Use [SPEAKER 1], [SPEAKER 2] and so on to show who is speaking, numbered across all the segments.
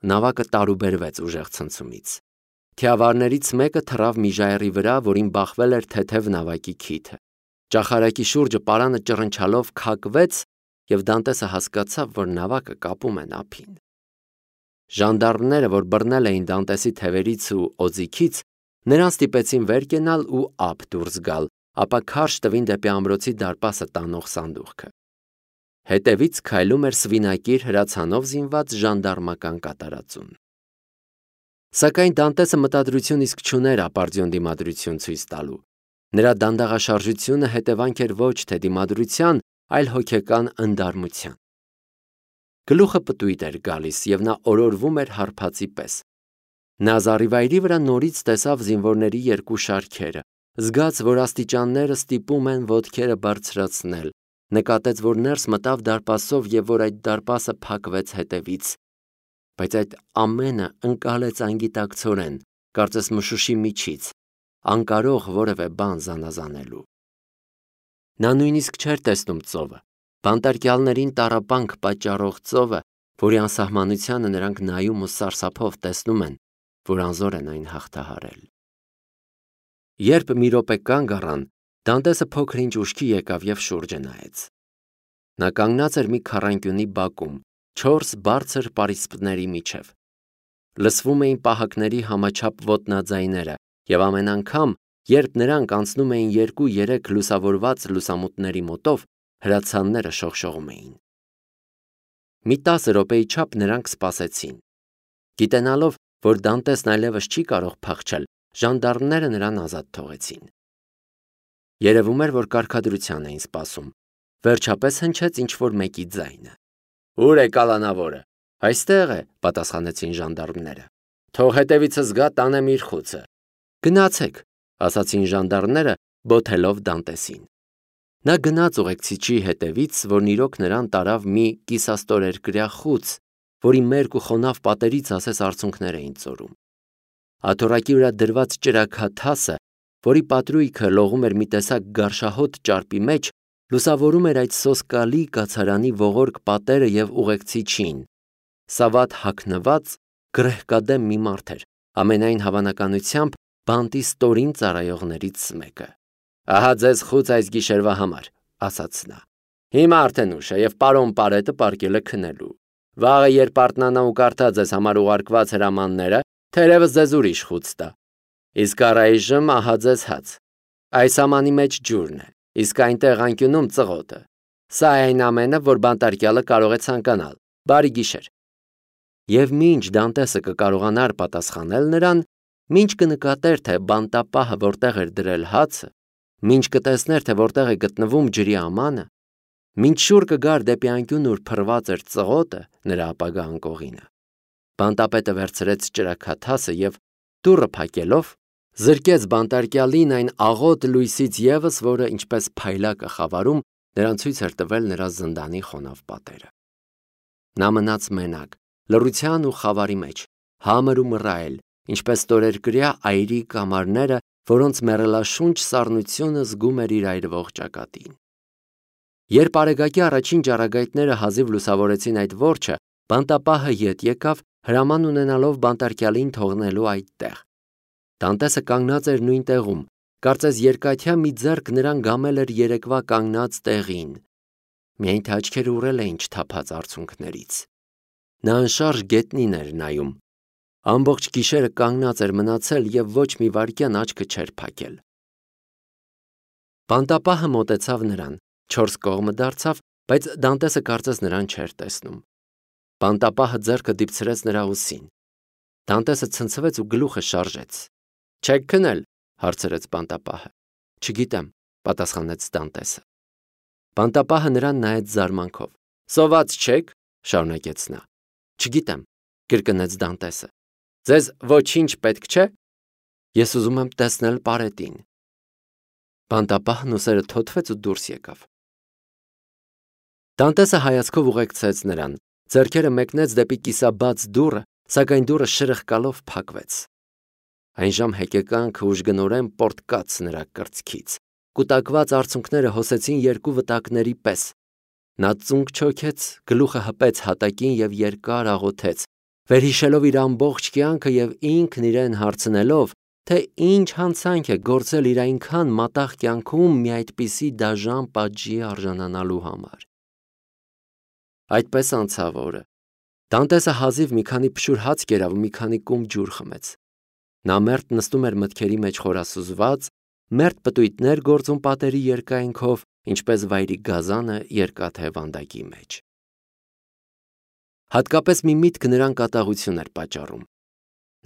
[SPEAKER 1] Նավակը տարուբերվեց ուժեղ ցնցումից։ Թիավարներից մեկը թռավ մի ժայռի վրա, որին բախվել էր թեթև նավակի քիթը։ Ճախարակի շուրջը պարանը ճռնչալով քակվեց, եւ Դանտեսը հասկացավ, որ նավակը կապում են ափին։ Ժանդարմները, որ բռնել էին Դանտեսի թևերից ու օձիքից, նրան ստիպեցին վեր կենալ ու ափ դուրս գալ, ապա քարշ տվին դեպի ամրոցի դարպասը տանող սանդուղքը։ Հետևից քայլում էր սվինակիր հրացանով զինված ժանդարմական կատարածուն։ Սակայն Դանտեսը մտադրություն իսկ չուներ ապարդյուն դիմադրություն ցույց տալու։ Նրա դանդաղաշարժությունը հետևանք էր ոչ թե դիմադրության, այլ հոգեկան ընդարմության։ Գլուխը պտույտ էր գալիս, եւ նա օրորվում էր հարբածի պես։ Նա զառիվայրի վրա նորից տեսավ զինվորների երկու շարքերը, զգաց, որ աստիճանները ստիպում են ոտքերը բարձրացնել, նկատեց, որ ներս մտավ դարպասով եւ որ այդ դարպասը փակվեց հետևից, բայց այդ ամենը ընկալեց անգիտակցորեն, կարծես մշուշի միջից, անկարող որևէ բան զանազանելու։ Նա նույնիսկ չէր տեսնում ծովը, բանտարկյալներին տառապանք պատճառող ծովը, որի անսահմանությանը նրանք նայում ու սարսափով տեսնում են, որ անզոր են այն հաղթահարել։ Երբ մի րոպե կանգ առան, Դանտեսը փոքր-ինչ ուշքի եկավ եւ շուրջը նայեց։ Նա կանգնած էր մի քառանկյունի բակում, 4 բարձր պարիսպների միջև։ Լսվում էին պահակների համաչափ ոտնաձայները, եւ ամեն անգամ, երբ նրանք անցնում էին 2-3 լուսավորված լուսամուտների մոտով, հրացանները շողշողում էին։ Մի 10 րոպեի չափ նրանք սպասեցին։ Գիտենալով, որ Դանտեսն այլևս չի կարող փախչել, ժանդարմները նրան ազատ թողեցին։ Երևում էր, որ կարգադրության էին սպասում։ Վերջապես հնչեց ինչ-որ մեկի ձայնը։ «Ո՞ւր է կալանավորը»։ «Այստեղ է», պատասխանեցին ժանդարմները։ «Թող հետևիցս գա, տանեմ իր խուցը»։ «Գնացեք», ասացին ժանդարմները, բոթելով Դանտեսին։ Նա գնաց ուղեկցիչի հետևից, որն իրոք նրան տարավ մի կիսաստորերկրյա խուց, որի մերկ ու խոնավ պատերից ասես արցունքներ էին ծորում։ Աթոռակի վրա դրված ճրագաթասը, որի պատրույգը լողում էր մի տեսակ գարշահոտ ճարպի մեջ, լուսավորում էր այդ սոսկալի կացարանի ողորկ պատերը եւ ուղեկցիչին։ Սավատ հագնված, գրեհկադեմ մի մարդ էր, ամենայն հավանականությամբ բանտի ստորին ծառայողներից մեկը։ «Ահա ձեզ խուց այս գիշերվա համար», ասաց նա։ «Հիմա արդեն ուշ է եւ պարոն Պարետը պառկել է քնելու։ Վաղը երբ արթնանա ու կարդա ձեզ համար ուղարկված հրամանները, թերևս ձեզ ուրիշ խուց տա։ Իսկ առայժմ ահա ձեզ հաց։ Այս ամանի մեջ ջուրն է, իսկ այնտեղ անկյունում ծղոտը։ Սա է այն ամենը, որ բանտարկյալը կարող է ցանկանալ։ Բարի գիշեր»։ Եվ մինչ Դանտեսը կկարողանար պատասխանել նրան, մինչ կնկատեր, թե բանտապահը որտեղ էր դրել հացը, մինչ կտեսներ, թե որտեղ է գտնվում ջրի ամանը, մինչ շուռ կգար դեպի անկյուն, ուր փռված էր ծղոտը, նրա ապագա անկողինը, բանտապետը վերցրեց ճրագաթասը եւ դուռը փակելով, զրկեց բանտարկյալին այն աղոտ լույսից եւս, որը ինչպես փայլակը խավարում, նրան ցույց էր տվել նրա զնդանի խոնավ պատերը։ Նա մնաց մենակ, լռության ու խավարի մեջ, համր ու մռայլ, ինչպես ստորերկրյա այրի կամարները, որոնց մեռելաշունչ սառնությունը զգում էր իր այրվող ճակատին։ Երբ արեգակի առաջին ճառագայթները հազիվ լուսավորեցին այդ որջը, բանտապահը ետ եկավ, հրաման ունենալով բանտարկյալին թողնելու այդտեղ։ Դանտեսը կանգնած էր նույն տեղում, կարծես երկաթյա մի ձեռք նրան գամել էր երեկվա կանգնած տեղին։ Միայն թե աչքերը ուռել էին չթափած արցունքներից։ Նա անշարժ գետնին էր նայում։ Ամբողջ գիշերը կանգնած էր մնացել եւ ոչ մի վայրկյան աչքը չէր փակել։ Բանտապահը մոտեցավ նրան, 4 կողմը դարձավ, բայց Դանտեսը կարծես նրան չէր տեսնում։ Բանտապահը ձեռքը դիպցրեց նրա ուսին։ Դանտեսը ցնցվեց ու գլուխը շարժեց։ «Չեք քնել», հարցրեց բանտապահը։ «Չգիտեմ», պատասխանեց Դանտեսը։ Բանտապահը նրան նայեց զարմանքով։ «Սոված չեք», շարունակեց նա։ «Չգիտեմ», կրկնեց Դանտեսը։ «Ձեզ ոչինչ պետք չէ»։ «Ես ուզում եմ տեսնել Պարետին»։ Բանտապահն ուսերը թոթվեց ու դուրս եկավ։ Դանտեսը հայացքով ուղեկցեց նրան, ձեռքերը մեկնեց դեպի կիսաբաց դուռը, սակայն դուռը շրխկալով փակվեց։ Այն ժամ հեկեկանքը ուժգնորեն պոռթկաց նրա կրծքից։ Կուտակված արցունքները հոսեցին երկու վտակների պես։ Նա ծունկ չոքեց, գլուխը հպեց հատակին եւ երկար աղոթեց. վերհիշելով իր ամբողջ կյանքը եւ ինքն իրեն հարցնելով, թե ինչ հանցանք է գործել իր այնքան մատաղ կյանքում մի այդպիսի դաժան պատժի արժանանալու համար։ Այդպես անցավ օրը։ Դանտեսը հազիվ մի քանի փշուր հաց կերավ ու մի քանի կում ջուր խմեց։ Նա մերթ նստում էր մտքերի մեջ խորասուզված, մերթ պտույտներ գործում պատերի երկայնքով, ինչպես վայրի գազանը երկաթե վանդակի մեջ։ Հատկապես մի միտք նրան կատաղություն էր պատճառում։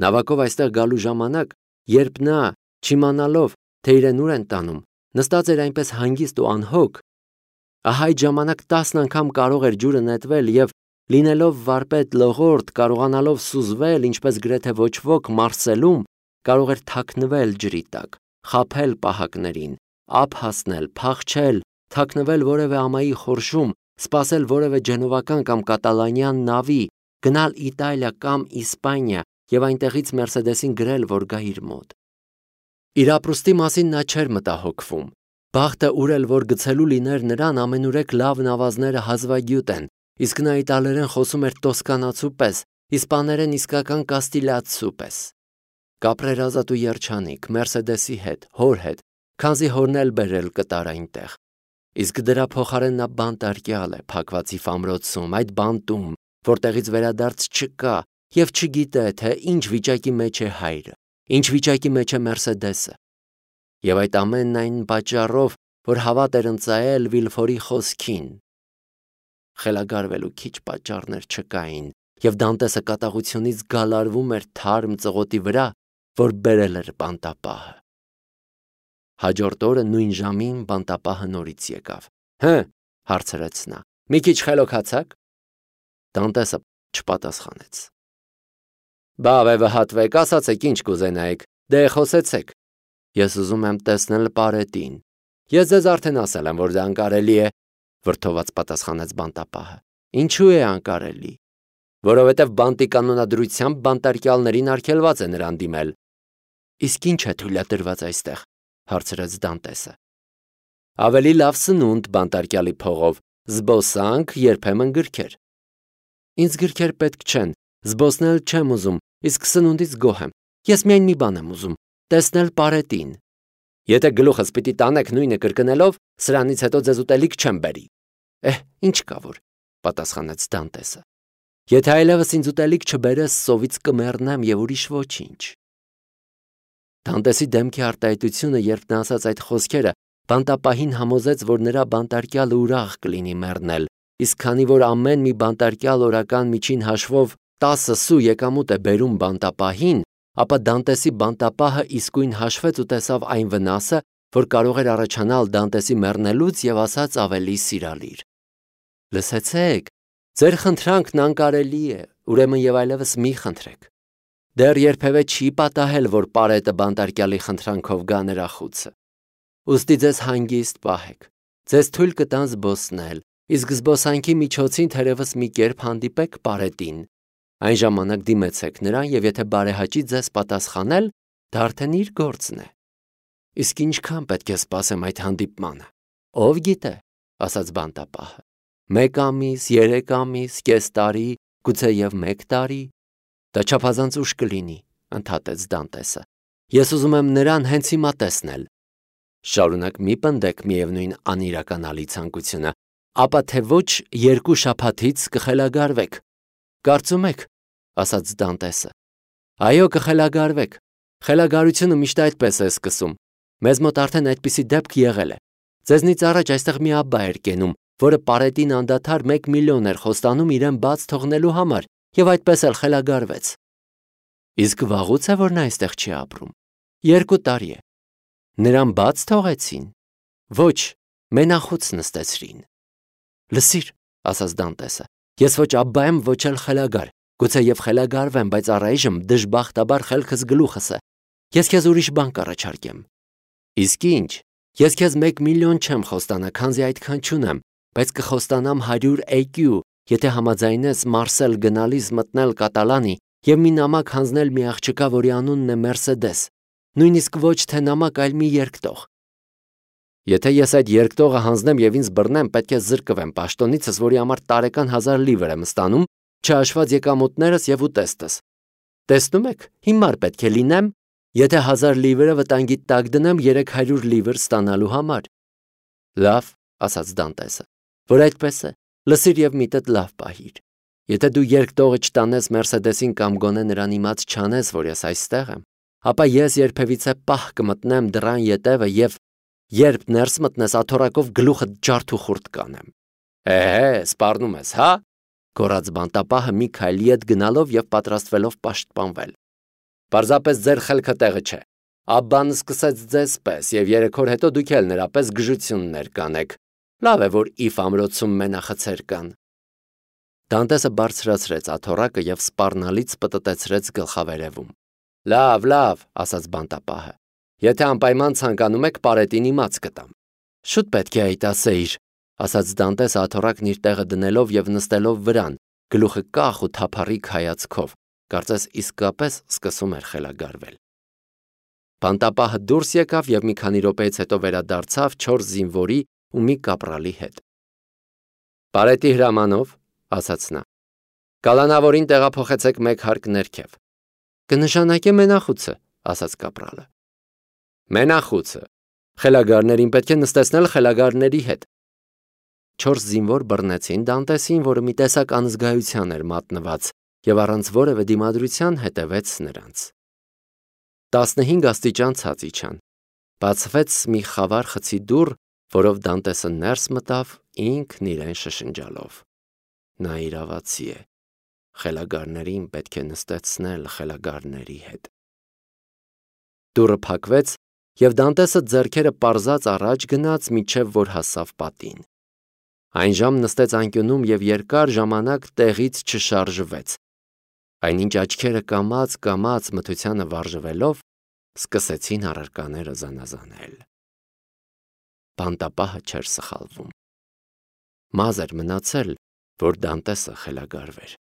[SPEAKER 1] Նավակով այստեղ գալու ժամանակ, երբ նա, չիմանալով, թե իրեն ուր են տանում, նստած էր այնպես հանգիստ ու անհոգ, ահա այդ ժամանակ 10 անգամ կարող էր ջուրը նետվել եւ լինելով վարպետ լողորդ, կարողանալով սուզվել, ինչպես գրեթե ոչ ոք Մարսելում, կարող էր թաքնվել ջրի տակ, խաբել պահակներին, ափ հասնել, փախչել, թաքնվել որևէ ամայի խորշում, սպասել որևէ ջենովական կամ կատալանյան նավի, գնալ Իտալիա կամ Իսպանիա եւ այնտեղից Մերսեդեսին գրել, որ գա իր մոտ։ Իր ապրուստի մասին նա չէր մտահոգվում։ Բախտը ուր էլ որ գցելու լիներ նրան, ամենուրեք լավ նավազները հազվագյուտ են, իսկ նա իտալերեն խոսում էր տոսկանացու պես, իսպաներեն իսկական կաստիլիացու պես։ Կապրեր ազատ ու երջանիկ, Մերսեդեսի հետ, հոր հետ, քանզի հորն էլ բերել կտար այնտեղ։ Իսկ դրա փոխարեն նա բանտարկյալ է փակվածի ֆամրոցում, այդ բանտում, որտեղից վերադարձ չկա եւ չգիտե, թե ինչ վիճակի մեջ է հայրը, ինչ վիճակի մեջ է Մերսեդեսը։ Եվ այդ ամենն այն պատճառով, որ հավատ էր ընծայել Վիլֆորի խոսքին։ Խելագարվելու քիչ պատճառներ չկային, եւ Դանտեսը կատաղությունից գալարվում էր թարմ ծղոտի վրա, որ բերել էր բանտապահը։ Հաջորդ օրը նույն ժամին բանտապահը նորից եկավ։ Հը, հարցրեց նա, մի քիչ խելոքացաք։ Դանտեսը չպատասխանեց։ Բա վհատվեք, ասացեք ինչ կուզենայիք, դե խոսեցեք։ Ես ուզում եմ տեսնել Պարետին։ Ես ձեզ արդեն ասել եմ, որ դա անկարելի է, վրդոված պատասխանեց բանտապահը։ Ինչու է անկարելի։ Որովհետև բանտի կանոնադրությամբ բանտարկյալներին արգելված է նրան դիմել։ Իսկ ինչ է թույլատրված այստեղ, հարցրեց Դանտեսը։ Ավելի լավ սնունդ բանտարկյալի փողով, զբոսանք, երբեմն գրքեր։ Ինձ գրքեր պետք չեն, զբոսնել չեմ ուզում, իսկ սնունդից գոհ եմ։ Ես միայն մի բան եմ ուզում, տեսնել Պարետին։ Եթե գլուխս պիտի տանեք նույնը կրկնելով, սրանից հետո ձեզ ուտելիք չեմ բերի։ Ինչ կա որ, պատասխանեց Դանտեսը։ Եթե այլևս ինձ ուտելիք չբերես, սովից կմեռնեմ եւ ուրիշ ոչինչ։ Դանտեսի դեմքի արտահայտությունը, երբ նա ասաց այդ խոսքերը, բանտապահին համոզեց, որ նրա բանտարկյալը ուրախ կլինի մեռնել, իսկ քանի որ ամեն մի բանտարկյալ օրական միջին հաշվով 10 սու եկամուտ է բերում բանտապահին, ապա Դանտեսի բանտապահը իսկույն հաշվեց ու տեսավ այն վնասը, որ կարող էր առաջանալ Դանտեսի մեռնելուց եւ ասաց ավելի սիրալիր. Լսեցեք, ձեր խնդրանքն անկարելի է, ուրեմն եւ այլևս մի խնդրեք։ Դեռ երբևէ չի պատահել, որ Պարետը բանտարկյալի խնդրանքով գա նրա խուցը։ Ուստի ձեզ հանգիստ պահեք, ձեզ թույլ կտան զբոսնել, իսկ զբոսանքի միջոցին թերևս մի կերպ հանդիպեք Պարետին։ Այն ժամանակ դիմեցեք նրան եւ եթե բարեհաճի ձեզ պատասխանել, դա արդեն իր գործն է։ Իսկ ինչքան պետք է սպասեմ այդ հանդիպմանը։ Ով գիտե, ասաց բանտապահը։ 1 ամիս, 3 ամիս, կես տարի, գուցե եւ 1 տարի։ Դա չափազանց ուշ կլինի, ընդհատեց Դանտեսը։ Ես ուզում եմ նրան հենց հիմա տեսնել։ Շարունակ մի պնդեք միևնույն անիրականալի ցանկությունը, ապա թե ոչ 2 շաբաթից կխելագարվեք։ Կարծում եք, ասաց Դանտեսը։ Այո, կխելագարվեք։ Խելագարությունը միշտ այդպես է սկսում։ Մեզ մոտ արդեն այդպիսի դեպք եղել է։ Ձեզնից առաջ այստեղ մի աբբա էր կենում, որը Պարետին անդադար 1 միլիոն էր խոստանում իրեն բաց թողնելու համար, եւ այդպես էլ խելագարվեց։ Իսկ վաղուց է որ նա այստեղ չի ապրում։ 2 տարի է։ Նրան բաց թողեցին։ Ոչ, մենախոց նստեցրին։ Լսիր, ասաց Դանտեսը, ես ոչ աբբա եմ, ոչ էլ խելագար, գուցե եւ խելագարվեմ, բայց առայժմ դժբախտաբար խելքս գլուխս է։ Ես քեզ ուրիշ բան կառաջարկեմ։ Իսկ ինչ, ես քեզ 1 միլիոն չեմ խոստանա, քանզի այդքան չունեմ, բայց կխոստանամ 100 էկյու, եթե համաձայնես Մարսել գնալիս մտնել Կատալանի եւ մի նամակ հանձնել մի աղջկա, որի անունն է Մերսեդես, նույնիսկ ոչ թե նամակ, այլ մի երկտող։ Եթե ես այդ երկտողը հանձնեմ եւ ինձ բռնեմ, պետք է զրկվեմ պաշտոնիցս, որի համար տարեկան 1000 լիվր եմ ստանում, չհաշված եկամուտներս եւ ուտեստս։ Տեսնում եք, հիմար պետք է լինեմ, եթե 1000 լիվրը վտանգի տակ դնեմ 300 լիվր ստանալու համար։ Լավ, ասաց Դանտեսը, որ այդպես է, լսիր եւ միտդ լավ պահիր։ Եթե դու երկտողը չտանես Մերսեդեսին կամ գոնե նրան իմաց չանես, որ ես այստեղ եմ, ապա ես երբևիցե պահ կմտնեմ դռան ետևը եւ երբ ներս մտնես աթոռակով գլուխդ ջարդուխուրդ կանեմ։ Սպառնում ես, հա? Գոռաց բանտապահը մի քայլի հետ գնալով եւ պատրաստվելով պաշտպանվել։ Պարզապես ձեր խելքը տեղը չէ։ Աբբան սկսեց ձեզ պես եւ 3 օր հետո դուք էլ նրա պես գժություններ կանեք։ Լավ է, որ Իֆ ամրոցում մենախցեր կան։ Դանտեսը բարձրացրեց աթոռակը եւ սպառնալից պտտեցրեց գլխավերևում։ Լավ, ասաց բանտապահը։ Եթե անպայման ցանկանում եք, պարետին իմաց կտամ։ Շուտ պետք է այդ ասեիր, ասաց Դանտեսը աթոռակն իր տեղը դնելով եւ նստելով վրան, գլուխը կախ ու թափառիկ հայացքով, կարծես իսկապես սկսում էր խելագարվել։ Բանտապահը դուրս եկավ եւ մի քանի րոպեից հետո վերադարձավ 4 զինվորի ու մի կապրալի հետ։ Պարետի հրամանով, ասաց նա, կալանավորին տեղափոխեցեք 1 հարկ ներքև։ Կնշանակե մենախուցը, ասաց կապրալը։ Մենախուցը։ Խելագարներին պետք է նստեցնել խելագարների հետ։ 4 զինվոր բռնեցին Դանտեսին, որը մի տեսակ անզգայության էր մատնված եւ առանց որևէ դիմադրության հետևեց նրանց։ 15 աստիճան ցած իջան։ Բացվեց մի խավար խցի դուռ, որով Դանտեսը ներս մտավ ինքն իրեն շշնջալով։ Նա իրավացի է։ Խելագարներին պետք է նստեցնել խելագարների հետ։ Դուռը փակվեց եւ Դանտեսը ձեռքերը պարզած առաջ գնաց մինչեւ որ հասավ պատին։ Այն ժամ նստեց անկյունում եւ երկար ժամանակ տեղից չշարժվեց։ Այնինչ աչքերը կամաց մթությանը վարժվելով սկսեցին առարկաները զանազանել։ Բանտապահը չէր սխալվում։ Մազեր մնացել, որ Դանտեսը խելագարվեր։